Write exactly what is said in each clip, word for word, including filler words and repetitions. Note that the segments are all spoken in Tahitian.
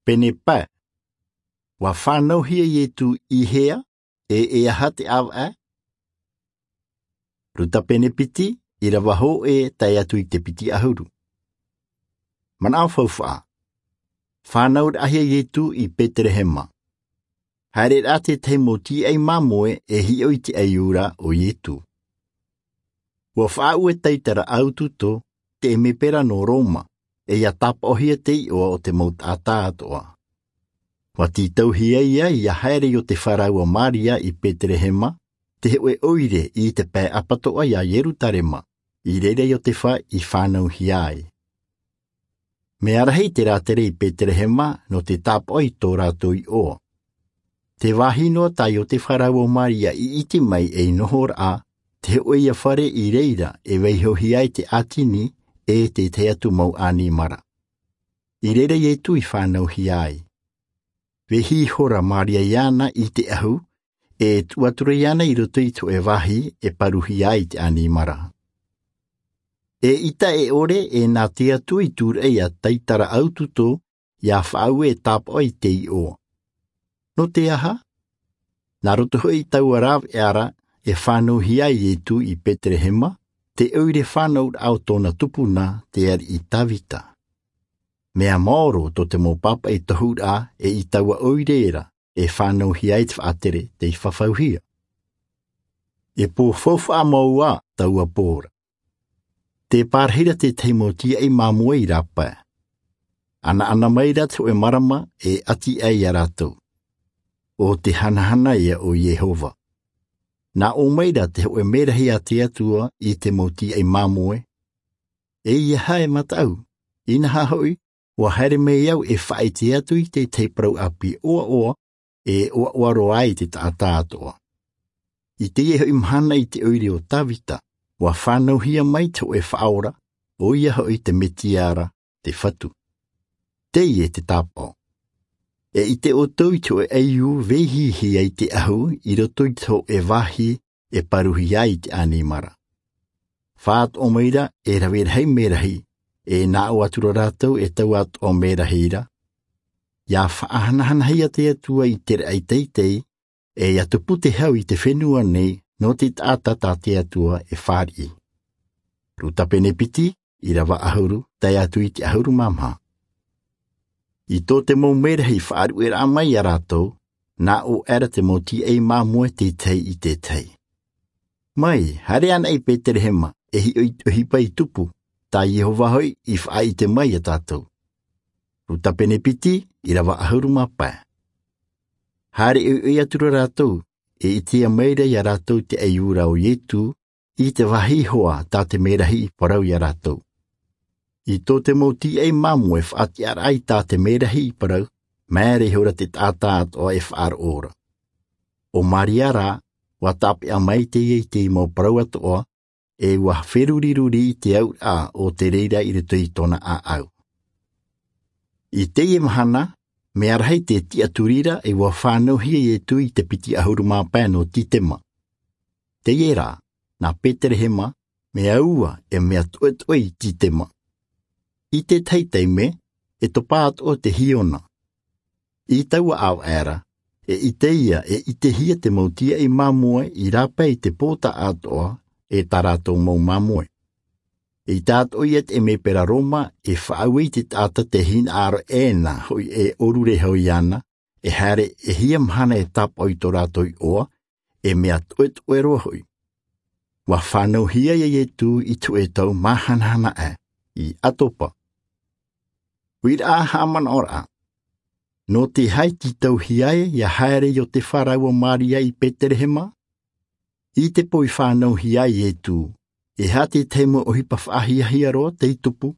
pene pae. Ua fānauhia iesu i hea, e e aha te ʻāvaʻe? Luka pene piti, ʻirava hōʻē tae atu i te piti ʻahuru. Manaʻo faufaʻa. Fānauraʻahia iesu i petelehema. Haere rā tētahi mau tīaʻi māmoe e hiʻo i te ʻaiū ra o iesu. Ua faʻaue taitara ʻaututo te ʻemepera nō roma, e ia tāpaʻohia te iʻoa o te mau taʻata atoʻa. Ua tītauhia ia ia haere i ʻōtefa rāua maria i petelehema, te hoʻe ʻoire i te pae ʻapatoʻa iā ierusalema, i reira i ʻōtefa i fānauhia ai. Mea rahi te rātere i petelehema nō te tāpaʻo i tō rātou iʻoa. Te vāhi noa tā ʻōtefa rāua maria i ʻite mai ei nohoraʻa, te hoʻe ia fare i reira e vaihohia ai te ʻātini, e tētahi atu mau ʻanimara. I reira iesu i fānauhia ai. Vaihi ihora maria iāna i te ʻahu, e tuʻu atu ra iāna i roto i te hoʻe vāhi e paruhia ai te ʻanimara. E ʻita e ʻore e nā te atua i tūraʻi iā taitara ʻaututo, ia faʻaue e tāpaʻo i te iʻoa. Nō te aha? Nā roto hoʻi i taua rāveʻa ra e fānauhia ai iesu i petelehema, te ʻoire fānauraʻa o tōna tupuna te ariʻi davida. Mea maoro tō te mau pāpaʻi tohuraʻa e i taua ʻoire ra e fānauhia ai te faʻatere tei fafauhia. E pō faufaʻa mau ā taua pō ra. Te pārahi ra tētahi mau tīaʻi māmoe i rāpae. Anaʻana mai ra te hoʻe marama e ʻati ai iā rātou. ʻO te hanahana ia o iehova. Nā ʻō mai ra te hoʻe merahi a te atua i te mau tīaʻi māmoe. E ia hae mataʻu, inaha hoʻi, ua haere mai au e faʻaʻite atu i tētahi parau ʻāpī ʻoaʻoa, e ʻoaʻoa roa ai te taʻata atoʻa. I teie hoʻi mahana i te ʻoire o davida, ua fānauhia mai te hoʻe faʻaora, ʻo ia hoʻi te mesia ra, te fatu. Teie te tāpaʻo. E ʻite ʻoutou i te hoʻe ʻaiū vaihihi ai te ʻahu i roto i te hoʻe vāhi e paruhia ai te ʻanimara. Faʻatoʻo mai ra e rave rahi merahi, e nā ʻō atu ra rātou e taua atoʻa merahi ra. Ia faʻahanahanahia te atua i te raʻi teitei, e ia tupu te hau i te fenua nei nō te taʻata tā te atua e fāriʻi. Luka pene piti, ʻirava ʻahuru tae atu i te ʻahuru mā maha. I tō te mau merahi faʻaruʻeraʻa mai iā rātou, nā ʻō aʻera te mau tīaʻi māmoe tētahi i tētahi. Mai, haere anaʻe i petelehema, e hiʻo i te ʻohipa i tupu, tā iehova hoʻi i faʻaʻite mai iā tātou. Luka pene piti, ʻirava ʻahuru mā pae. Haere ʻoiʻoi atu ra rātou, e ʻitea mai ra iā rātou te ʻaiū ra o iesu, i te vāhi iho ā tā te merahi i parau iā rātou. I tō te mau tīaʻi māmoe faʻatiʻaraʻa i tā te merahi i parau, maere ihora te taʻata atoʻa e faʻaroʻo ra. ʻO maria rā, ua tāpeʻa mai teie i te mau parau atoʻa, e ua feruriruri i te auraʻa o te reira i roto i tōna ʻāʻau. I teie mahana, mea rahi te tiʻaturi ra e ua fānauhia iesu i te piti ʻahuru mā pae nō sitema. Teie rā, nā petelehema, mea ua e mea toʻetoʻe i sitema. I tētahi taime, e topa atoʻa te hiona. I taua ʻāvaʻe ra, e ʻite ia e ʻitehia te mau tīaʻi māmoe i rāpae i te pō taʻatoʻa, e tā rātou mau māmoe. E ʻite atoʻa ia te ʻemepera roma e faʻaue i te taʻata te hinaʻaro ʻē na hoʻi e ʻōrure hoʻi ana, e haere e hia mahana e tāpaʻo i tō rātou iʻoa, e mea toʻetoʻe roa hoʻi. Ua fānauhia ia iesu i te hoʻe tau māhanahana ʻē, i atopa. Uiraʻa haʻamanaʻoraʻa. Nō te aha i tītauhia ai ia haere ʻōtefa rāua maria i petelehema? I te pō i fānauhia ai iesu, e aha te tahi mau ʻohipa faʻahiahia roa tei tupu?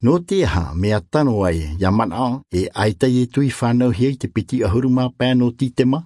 Nō te aha mea tano ai ia manaʻo e ʻaita iesu i fānauhia i te piti ʻahuru mā pae nō sitema?